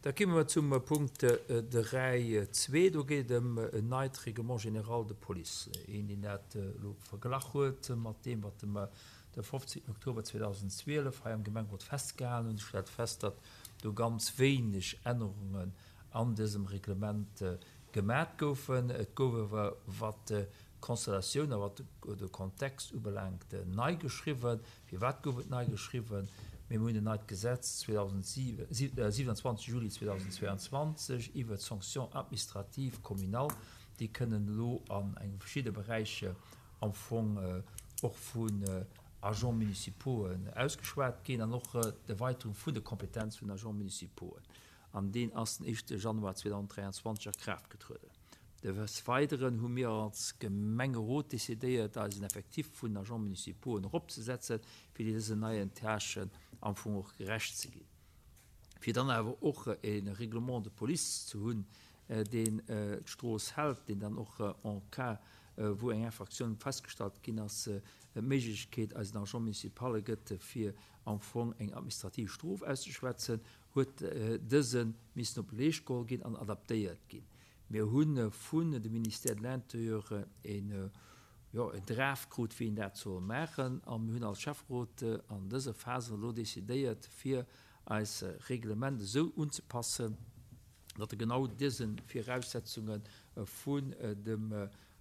Da komme mer zum Punkt 3.2. Do geet et ëm en neit Règlement général de police. Een, deen dat elo verglach huet mat deem, wat mer de 15 Oktober 2012 hei am Gemengerot festgehalen hunn, stellt fest, datt do ganz wéineg Ännerungen an dësem Reglement gemat goufen. Et gouf awer, wat d'Konstellatioun a wat de Kontext ubelaangt, nei geschriwwen. Firwat gouf et nei geschriwwen? Mir hunn en neit Gesetz 27 Juli 2022 iwwert d'Sanctions administratives communales, déi kënnen elo an enge verschidde Beräicher am Fong och vun Agents municipauxen ausgeschwat ginn an och d'Erweiterung vun de Kompetenz vun Agents municipauxen. An deen ass den éischte Januar 2023 a Kraaft getrueden. Des Weideren hu mir als Gemengerot decidéiert, eisen Effectif vun Agents municipauxen eropzesetzen, fir dësen neien Tâchen am Fong och gerecht ze ginn. Fir dann awer och e Règlement de police ze hunn, deen d'Strooss hält, deen dann och en cas wou eng Infraction festgestallt ginn ass, d'Méiglechkeet eisen Agents municipale gëtt, fir am Fong eng administrativ Strof auszeschwätzen, huet dëse missen op Leescht geholl ginn an adaptéiert ginn. Mir hu vun dem Ministère de l'Intérieur een, jo, en Draft krut, wéi een dat soll maachen, a mir hunn als Schäfferot an dëser Phase elo decidéiert, fir eis Reglement esou unzepassen, datt e genau dëse Viraussetzunge vun dem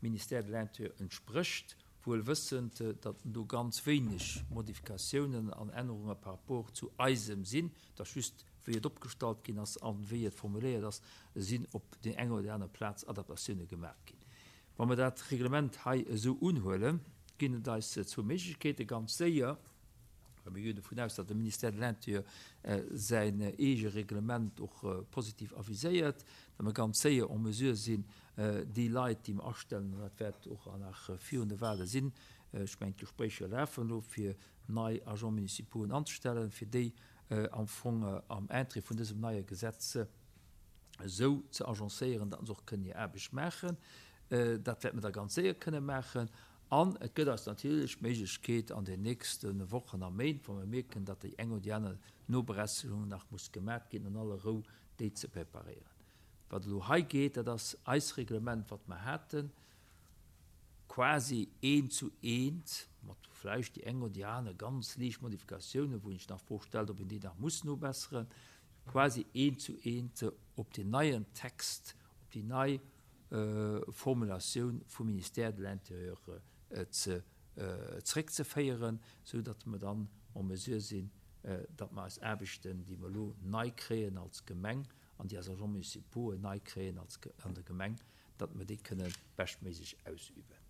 Ministère de l'Intérieur entsprécht, wuel wëssend, datt do ganz wéineg Modifikatiounen an Ännerunge par rapport zu eisem sinn, datt just wéi et opgestallt ginn ass a wéi et formuléiert ass, sinn op déi eng oder déi aner Plaz Adaptatioune gemaach ginn. Wa mer dat Reglement hei esou unhuelen, ginn et eis zwou Méiglechkeeten, ganz séier, well mir ginn dovun aus, datt de Ministère de l'Intérieur säin eege Reglement och positiv aviséiert, datt mer ganz séier en mesure sinn, déi Leit, déi mer astellen, an dat wäert och nach virun de Wahle sinn, ech mengen d'Gespréicher lafen elo, fir nei Agents municipauxen anzestellen, fir déi am Fong am Interêt vun dësem neie Gesetz esou ze agencéieren, datt se och kënnen hir Aarbecht maachen. Dat wäerte mer da ganz séier kënne maachen. An et gëtt eis natierlech d'Méiglechkeet an den nächste Wochen a Méint, wa mer mierken, datt déi eng oder déi aner Nobesserung nach muss gemaat ginn, an aller Rou déi ze preparéieren. Wat elo hei geet, dat ass eist Reglement, wat mer haten, quasi eent zu eent, mat vläicht déi eng oder déi aner ganz liicht Modifikatiounen, wou een sech nach d'Fro stellt, ob een déi nach muss nobesseren, quasi eent zu eent op deen neien Text, op déi nei Formulatioun vum Ministère de l'Intérieur ze zréckzeféieren, esou datt mer dann en mesure sinn, datt mer eis Aarbechten, déi mer elo nei kréien als Gemeng an déi eis Agents municipaux nei kréien als an der Gemeng, datt mer déi kënne beschtméiglech ausüben.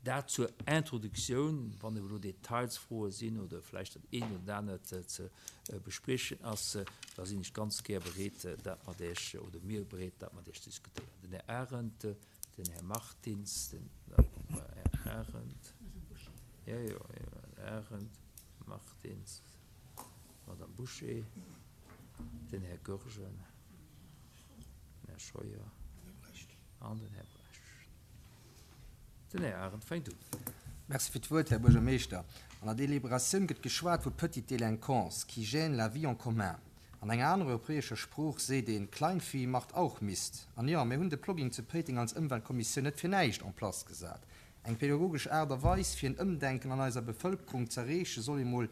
Dat zur Introduktioun. Wann elo Detailsfroe sinn oder vläicht dat eent oder dat anert ze bespriechen ass, da sinn ech ganz gär bereet, dat mat Iech, oder mir bereet, dat mat Iech ze diskutéieren. Den Här Arendt, den Här Martins, den Här Arendt, jo, jo, Här Arendt, Martins, d'Madame Bouché, den Här Goergen, den Här Scheuer an den Här Brecht. Den Här Arendt fänkt un. Merci fir d'Wuert, Här Buergermeeschter. An der Deliberatioun gëtt geschwat vu petite délinquance qui gêne la vie en commun. An enger anerer europäescher Sprooch seet een, Kleinvieh macht auch Mist. An jo, mir hunn de Plogging zu Péiteng als Ëmweltkommissioun net fir näischt en place gesat. Eng pädagogesch Aart a Weis, fir en Ëmdenken an eiser Bevëlkerung z'erreechen, soll emol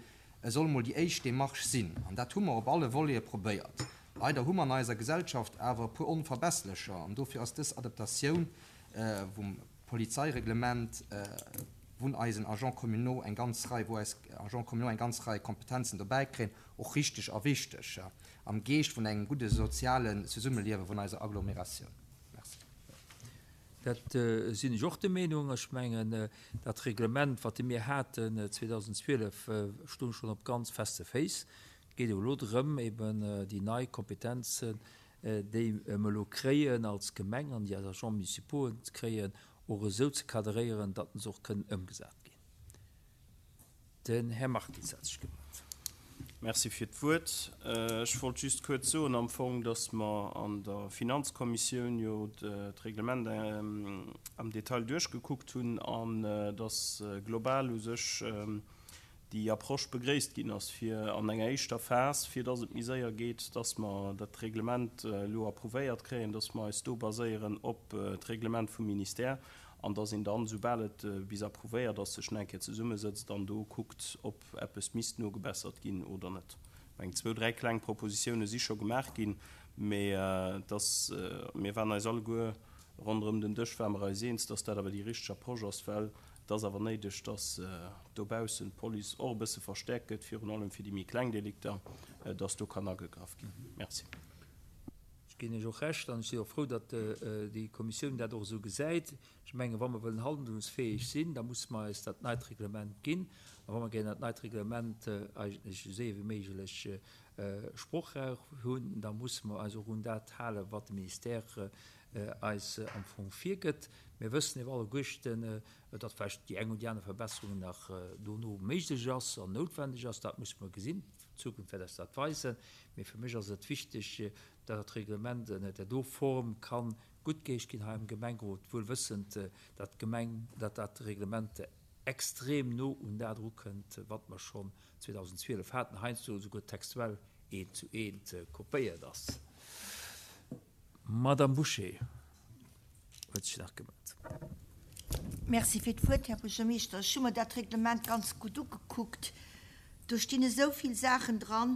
soll emol déi éischt Demarche sinn. An dat hu mer op alle Volete probéiert. Leider hu mer an eiser Gesellschaft awer e puer Onverbesslecher an dofir ass dës Adaptatioun vum Polizeireglement, vun eisen Agents communaux eng ganz Rei, wou eis Agents communaux eng ganz Rei Kompetenzen dobäi kréien, och richteg a wichteg am Geescht vun engem gudde sozialen Zesummeliewe vun eiser Agglomeratioun. Merci. Dat sinn ech och der Meenung. Ech mengen, dat Reglement, wat mir haten 2012, stoung schonn op ganz feste Féiss. Et geet elo drëm, eben déi nei Kompetenzen, déi mer elo kréien als Gemeng an déi eis Agents municipaux kréien, och esou ze cadréieren, datt se och kënnen ëmgesat ginn. Den Här Martins hat sech gemellt. Merci fir d'Wuert. Ech wollt just kuerz soen am Fong, datt mer an der Finanzkommissioun jo d'Reglement am Detail duerchgekuckt hunn an datt global u sech. Déi Approche begréisst ginn ass, fir an enger éischter Phas, fir dass et méi séier geet, dass mer dat Reglement elo approuvéiert kréien, dass mer eis do baséieren op d'Reglement vum Ministère an dass een dann, soubal et bis approuvéiert ass, sech nach eng Kéier zesummesëtzt an do kuckt, ob eppes misst nogebessert ginn oder net. Ech mengen, zwou, dräi kleng Propositione si scho gemaach ginn, mä dass, mir waren eis alleguer ronderëm den Dësch ware mer eis eens, dass dat awer déi richteg Approche ass, well Et ass awer néideg, dass dobaussen d'Police och e bësse verstäerkt gëtt, virun allem fir déi méi kleng Delikter, dass do kann agegraff ginn. Merci. Ech ginn Iech och Recht an ech sinn och frou, datt déi Kommissioun dat och esou gesäit. Ech mengen, wa mer wëllen handlungsfäeg sinn, da musse mer eis dat neit Reglement ginn. A wa mer gären dat neit Reglement eigentlech esou séier wéi méiglech sprochräif hunn, da musse mer eis och un dat halen, wat de Ministère eis am Fong virgëtt. Mir wëssen ewer alleguerten, datt vläicht déi eng oder déi aner Verbesserung nach dono méiglech ass an noutwendeg ass. Dat musse mer gesinn. D'Zukunft wäert eis dat weisen. Mee fir mech ass et wichteg, datt dat Reglement ënner där do Form ka guttgeheescht ginn hei am Gemengerot, wuel wëssend, datt d'Gemeng, datt dat Reglement extrem no un dat erukënnt, wat mer schonn 2012 haten, heiansdo esouguer textuell eent zu eent kopéiert ass. D'Madame Bouché huet sech nach gemellt. Merci fir d'Wuert, Här Buergermeeschter. Ech hu mer dat Reglement ganz gutt ugekuckt. Do stinn esou vill Saachen dran,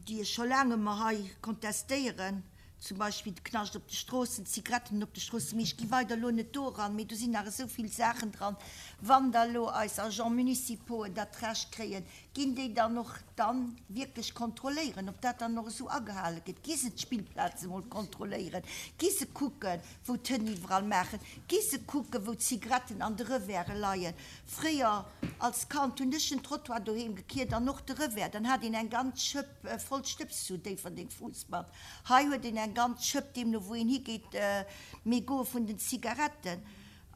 déi ech scho laang ëmmer hei kontestéieren, zum Beispill de Knascht op de Stroossen, d'Zigaretten op de Stroossen. Mee ech gi weider elo net do eran. Mee do sinn nach esou vill Saachen dran. Wann da elo eis Agents municipauxen dat Recht kréien, Ginn déi dann och dann wierklech kontrolléieren, ob dat dann och esou agehale gëtt? Gi se d'Spillplaze mol kontrolléieren? Gi se kucken, wou d'Hënn iwwerall maachen? Gi se kucken, wou d'Zigaretten an de Revere leien? Fréier als Kand hunn ech den Trottoir doheem gekiert an och de Revers. Dann hat een eng ganz Schëpp voll Stëbs zu Déifferdeng Fuussband. Hei huet een eng ganz Schëpp, deemno wou een higeet, Mégote vun den Zigaretten.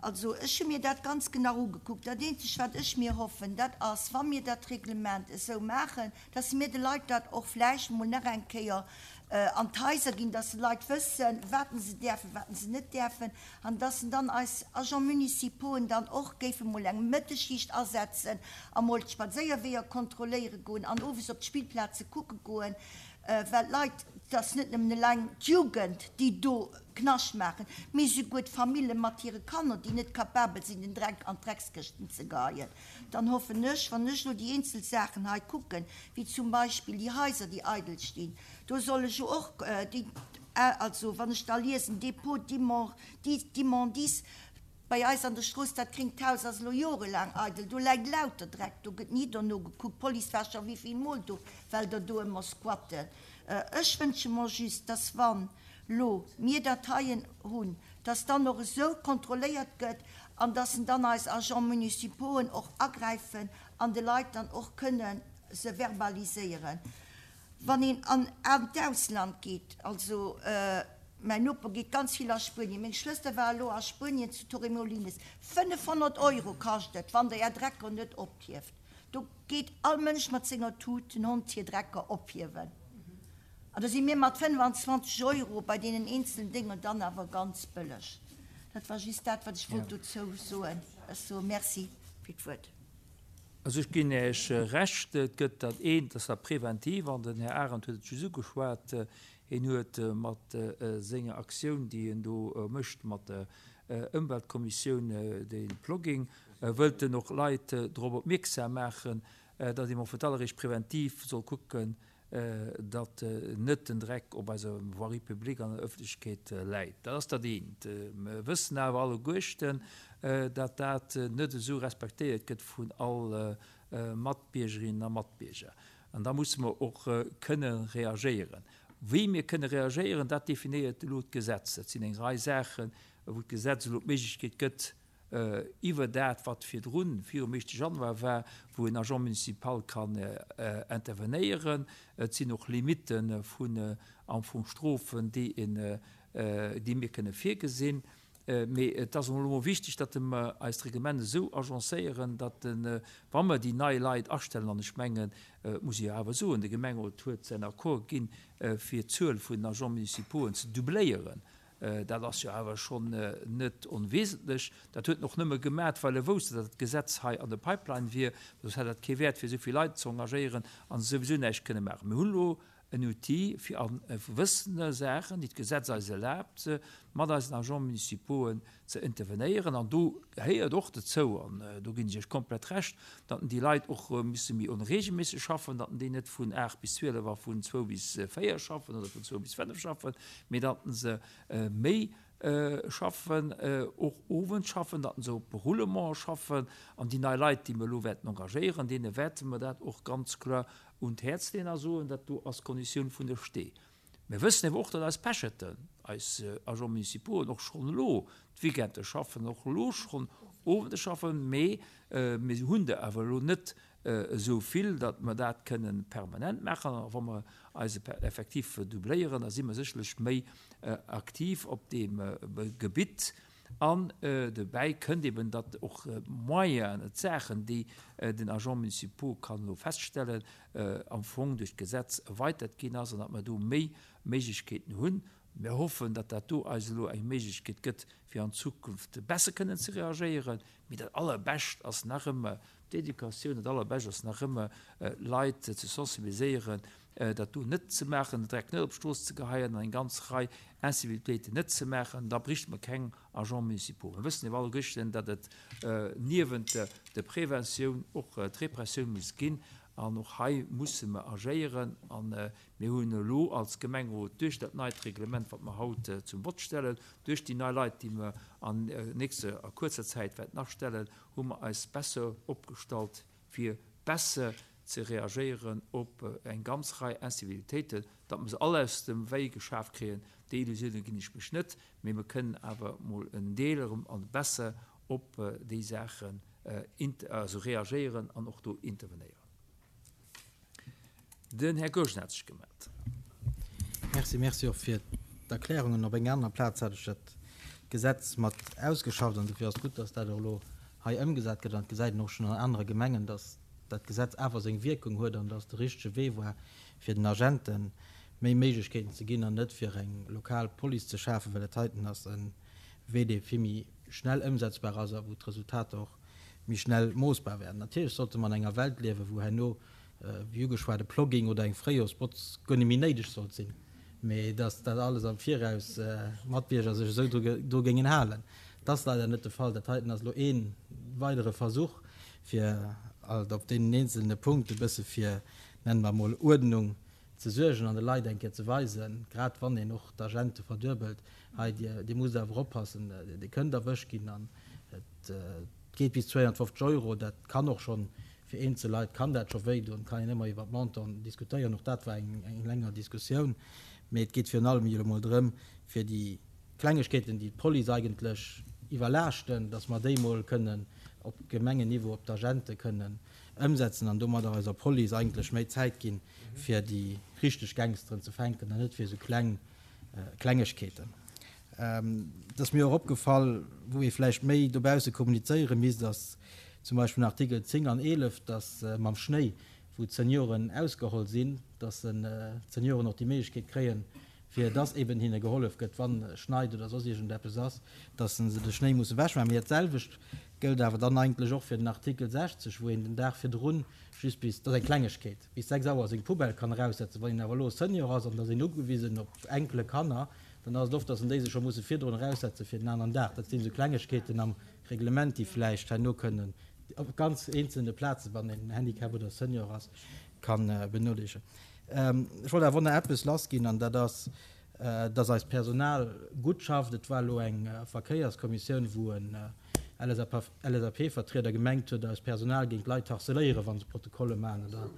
Also, ech hu mir dat ganz genau ugekuckt. Dat Eenzegt, wat ech mir hoffen, dat ass, wa mir dat Reglement esou maachen, dass mir de Leit dat och vläicht emol nach eng Kéier an d'Haiser ginn, dass d'Leit wëssen, wat se däerfen, wat se net däerfen, an dass dann eis Agents municipauxen dann och géife mol eng Mëttesschicht asetzen a mol d'Spadséierweeër kontrolléiere goen an owes op d'Spillplaze kucke goen, well d'Leit, et ass net nëmmen eleng d'Jugend, déi do Knascht maachen, mee souguer d'Famille mat hire Kanner, déi net capabel sinn, den Dreck an d'Dreckskëschten ze geheien. Dann hoffen ech, wann ech elo déi eenzel Saachen hei kucken, wéi zum Beispill déi Haiser, déi eidel stinn, do soll ech jo och déi, also wann ech da liesen, Dépôt d'immondices bei eis an der Strooss, dat gréngt Haus ass elo jorelaang eidel, do läit lauter Dreck, do gëtt ni dono gekuckt, d'Police war scho wéivill Mol do, well der do ëmmer squatten. Ech wënsche mer just, dass wann lo mir dat heien hunn, dass dann och esou kontrolléiert gëtt an dass en dann eis Agents municipauxen och agräifen an de Leit dann och kënne se verbaliséieren. Wann een an an d'Ausland geet, also mäin Noper geet ganz vill a Spuenien, meng Schwëster war elo a Spuenien zu Torremolinos, 500 Euro kascht et, wann Der Är Drecker net ophieft. Do geet all Mënsch mat senger Tut den Hond hir Drecker ophiewen. An do si mir mat 25 Euro bei deenen eenzelen Dénger dann awer ganz bëlleg. Dat war just dat, wat ech wollt dozou soen. Ech soe Merci fir d'Wuert. Also ech ginn Iech Recht, et gëtt dat eent, dat ass dat Preventiv, an den Här Arendt huet et just ugeschwat. Hien huet mat senger Aktioun, déi en do mécht mat der Ëmweltkommissioun, de Plogging, wëllt en och Leit drop opmierksam maachen, datt ee mol fir d'alleréischt preventiv soll kucken, datt net den Dreck op eiser Voirie publique an der Ëffentlechkeet läit. Dat ass dat eent. Mer wëssen awer alleguerten, datt dat net esou respektéiert gëtt vun all Matbiergerinnen a Matbierger. An da musse mer och kënne reagéieren. Wéi mir kënne reagéieren, dat definéiert elo d'Gesetz. Dat sinn eng Rei Saachen, wou d'Gesetz elo d'Méiglechkeet gëtt, iwwer dat, wat virdrun, virum éischte Januar war, wou en Agent municipal kann intervenéieren. Et sinn och Limitte vun am Fong Strofen, déi een, déi mir kënne virgesinn. Mee et ass elo emol wichteg, datt mer eist Reglement esou agencéieren, datt, wa mer déi nei Leit astellen, an ech mengen, et muss ee jo awer soen, de Gemengerot huet säin Accord ginn, fir d'Zuel vun den Agents municipauxen ze doubléieren. Dat ass jo awer schonn net onwesentlech. Dat huet en och nëmme gemat, well e wousst, datt dat Gesetz hei an der Pipeline wier. Soss hätt dat kee Wäert, fir esou vill Leit ze engagéieren a se souwisou näischt kënne maachen. Mir hunn elo en Outil, fir a gewëssene Saachen, déi d'Gesetz eis erlaabt, mat eisen Agents municipauxen ze intervenéieren. An do gehéiert och dozou, an do ginn ech Iech komplett Recht, datt déi Leit och musse méi onregelméisseg schaffen, datt déi net vun 8 bis 12 a vun 2 bis 4 schaffen oder vun 2 bis 5 schaffen, mee datt se méi schaffen, och owends schaffen, datt se op Roulement schaffen. An déi nei Leit, déi mer elo wäerten engagéieren, deene wäerte mer dat och ganz kloer un d'Häerz leeën a soen, dat do ass d'Konditioun vun der Stee. Mir wëssen awer och, datt eis Pecheten, eis Agents municipauxen och schonn elo d'Weekende schaffen, och elo schonn Owende schaffen, mee mir hunn der awer elo net esou vill, datt mer dat kënnen permanent maachen. A wa mer eise Effectif doubléieren, da si mer sécherlech méi aktiv op deem Gebitt. An dobäi kënnt eben, datt och d'Moyenen, d'Saachen, déi den Agent municipaux kann elo feststellen, am Fong duerch d'Gesetz erweitert ginn ass an datt mer do méi Méiglechkeeten hunn. Mir hoffen, datt dat do eis elo eng Méiglechkeet gëtt, fir an Zukunft besser kënnen ze reagéieren. Mee dat Allerbescht ass nach ëmmer d'Educatioun, dat Allerbescht ass nach ëmmer, d'Leit ze sensibiliséieren, dat do net ze maachen, den Dreck net op d'Strooss ze geheien an eng ganz Rei Incivilitéiten net ze maachen, da bricht mer keng Agents municipaux. Mir wëssen awer alleguerten, datt et niewent der Preventioun och d'Repressioun muss ginn an och hei musse mer agéieren. A mir hunn elo als Gemengerot duerch dat neit Reglement, wat mer haut zum Vott stellen, duerch déi nei Leit, déi mer an nächster a kuerzer Zäit wäerten astellen, hu mer eis besser opgestallt, fir besser ze reagéieren op eng ganz Rei Incivilitéiten, datt mer se all aus dem Wéi geschaf kréien, déi Illusioune ginn ech mech net, mee mer kënnen awer emol en Deel erëm an besser op déi Saachen also reagéieren an och do intervenéieren. Den Här Goergen hat sech gemellt. Merci, merci och fir d'Erklärungen. Op enger anerer Plaz hat ech dat Gesetz mat ausgeschafft an dofir ass et gutt, datt dat och elo hei ëmgesat gëtt. An et gesäit een och schonn an anere Gemengen, datt dat Gesetz awer seng Wierkung huet an datt de richtege Wee war, fir den Agente méi Méiglechkeeten ze ginn an net fir eng lokal Police ze schafen, well dat heiten ass e Wee, dee vill méi schnell ëmsetzbar ass a wou d'Resultater och méi schnell moossbar wären. Natierlech sollte mer an enger Welt liewen, wou herno, wéi ugeschwat, e Plogging oder eng Fréijorsbotz guer net méi néideg sollt sinn, mee dass dat alles am Viraus d'Matbierger sech esou dru géingen halen. Dat ass leider net de Fall. Dat heiten ass elo ee weidere Versuch, fir alt op deenen eenzelne Punkte e bësse fir, nennen mer emol, Uerdnung ze suergen an de Leit eng Kéier ze weisen, grad wann een och d'Agente verduebelt, hei, Dir musst awer oppassen, Dir kënnt erwëscht ginn an et geet bis 250 Euro. Dat kann och schonn fir eenzel Leit kann dat scho wéidoen. Et kann een ëmmer iwwer d'Montanten diskutéieren, och dat war eng länger Diskussioun. Mee et geet virun allem jo emol drëm, fir déi Klengegkeeten, déi d'Police eigentlech iwwerlaaschten, datt mer déi emol kënnen op Gemengenniveau op d'Agente kënnen ëmsetzen an domadder eiser Police eigentlech méi Zäit ginn, fir déi richteg Gangsteren ze fänken an net fir esou kleng Klengegkeeten. Et ass mir och opgefall, wou ee vläicht méi dobausse kommunizéiere misst, ass zum Beispill den Artikel 10 an 11, dass mam Schnéi, wou d'Senioren ausgeholl sinn, dass d'Senioren och déi Méiglechkeet kréien, fir dass eben hinne gehollef gëtt, wann schneit oder soss iergendeppes ass, dass se de Schnéi musse wechmaachen. Mee dat selwecht gëllt awer dann eigentlech och fir den Artikel 60, wou een den Dag virdrun just bis, dat ass eng Klengegkeet, bis 6 Auer seng Poubelle kann eraussetzen. Wann een awer elo Senior ass an et ass een ugewisen op Enkele, Kanner, dann ass et oft, dass en déi sech scho musse virdrun eraussetze fir den aneren Dag. Dat sinn esou Klengegkeeten am Reglement, déi vläicht herno kënnen op ganz eenzelne Plazen, wann een Handicap oder Senior ass, ka benodeelegen. Ech wollt awer och nach eppes lassginn, an dat ass, dass eist Personal gutt schafft. Et war elo eng Verkéierskommissioun, wou en LSAP-Vertrieder gemengt huet, eist Personal géing d'Leit harceléieren, wa se Protokolle maachen oder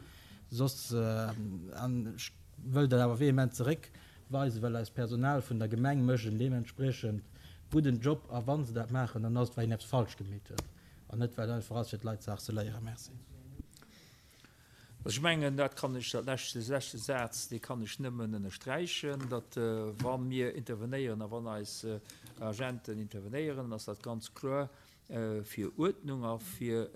soss. An ech wëll dat awer vehement zeréckweisen, well eist Personal vun der Gemeng mécht en deementspriechend gudden Job. A wa se dat maachen, dann ass et, well een eppes falsch gemeet huet an net, well et einfach ass, fir d'Leit ze harceléieren. Merci. Ech mengen, dat kann ech, dat lescht, dee leschte Saz, dee kann ech nëmmen ënnersträichen, datt wa mir intervenéieren a wann eis Agenten intervenéieren, dann ass dat ganz kloer fir Uerdnung a fir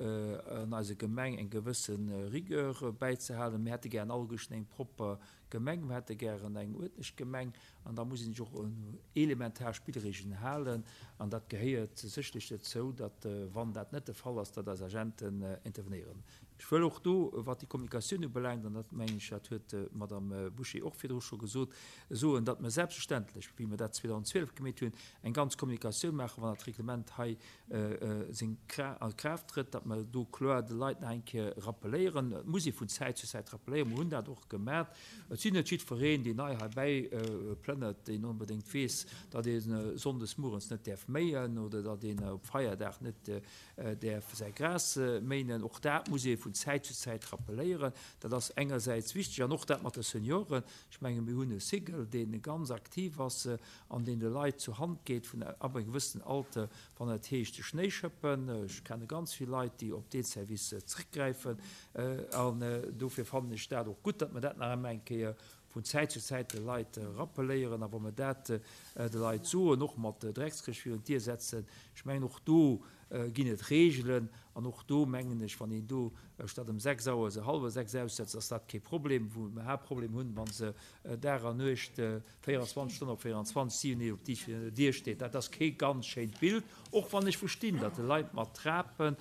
an eiser Gemeng eng gewësse Rigueur bäizehalen. Mir hätte gären alleguerten eng propper. Gemeng, mir hätte gären eng uerdentlech Gemeng an da muss een sech och un elementar Spillregeln halen an dat gehéiert sécherlech dozou, datt, wann dat net de Fall ass, datt eis Agenten intervenéieren. Ech wëll och do, wat déi Kommunikatioun ubelaangt, an dat mengen ech, dat huet d'Madame Bouché och virdru scho gesot, soen, datt mer selbstverständlech, wéi mer dat 2012 gemeet hunn, eng ganz Kommunikatioun maachen, wann dat Reglement hei seng a Kraaft trëtt, datt mer do kloer de Leit nach eng Kéier rappeléieren. Et muss ee vun Zäit zu Zäit rappeléieren. Mer hunn dat och gemat. Et sinn net jiddwereen, deen nei heibäi plënnert, deen onbedéngt weess, datt ee sonndes muerens net däerf méien oder datt een op Feierdag net däerf säi Gras méinen. Och dat muss ee vun Zäit zu Zäit rappeléieren. Dat ass engersäits wichteg. An och dat mat de Senioren. Ech menge mir hunn e Cigl, dee ganz aktiv ass an deen de Leit zur Hand geet vun ab engem gewëssenen Alter, wann et heescht de Schnéi schëppen. Ech kenne ganz vill Leit, déi op dee Service zréckgräifen. An dofir fannen ech dat och gutt, datt mer dat nach emol eng Kéier vun Zäit zu Zäit de Leit rappeléieren. A wa mer dat de Leit soen, och mat Dreckskëscht virun d'Dier setzen, ech mengen och do ginn et Reegelen. An och do mengen ech, wann een do statt ëm 6 Auer se hallwer 6 aussetzt, ass dat kee Problem. Wou mer Haaptproblem hunn, wa se Dag an Nuecht 24 Stonnen op 24, 7 Deeg op déi Dier steet, dat ass kee ganz schéint Bild. Och wann ech verstinn, datt de Leit mat Trape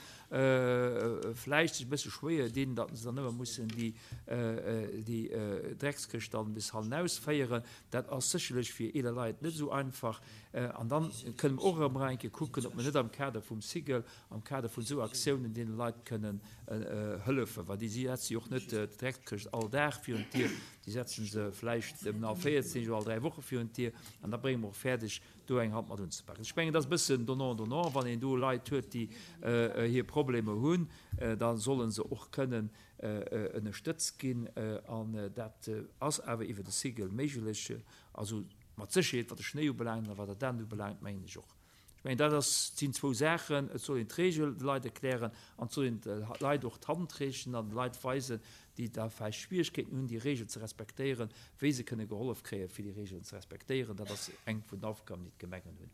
vläicht sech e bësse schwéier dinn, datt se dann ëmmer mussen déi Dreckskëscht dann bis hannen ausféieren. Dat ass sécherlech fir eeler Leit net esou einfach. An dann kënne mer och erëm eng Kéier kucken, ob mer net am Kader vum Cigl, am Kader vun esou Aktiounen deene Leit kënnen hëllefen, well déi setze jo och net d'Dreckskëscht all Dag virun d'Dier, déi setze se vläicht ëm all 14 Deeg oder all 3 Woche virun d'Dier. An da brénge mer och fäerdeg, do eng Hand mat unzepaken. Ech mengen, et ass e bëssen donnant donnant. Wann een do Leit huet, déi hir Problemer hunn, da solle se och kënnen ënnerstëtzt ginn. An dat ass awer iwwer de Cigl méiglech. Also mat Sécherheet, wat de Schnéi ubelaangt a wat dat anert ubelaangt, mengen ech och. Ech mengen, dat ass, sinn zwou Saachen. Et soll een d'Regel de Leit erklären an et soll een de Leit och d'Hand reechen an de Leit weisen, déi da vläicht Schwierigkeeten hunn, déi Regel ze respektéieren, wéi se kënne gehollef kréien, fir déi Regelen ze respektéieren. Dat ass eng vun den Aufgaben, déi d'Gemengen hunn.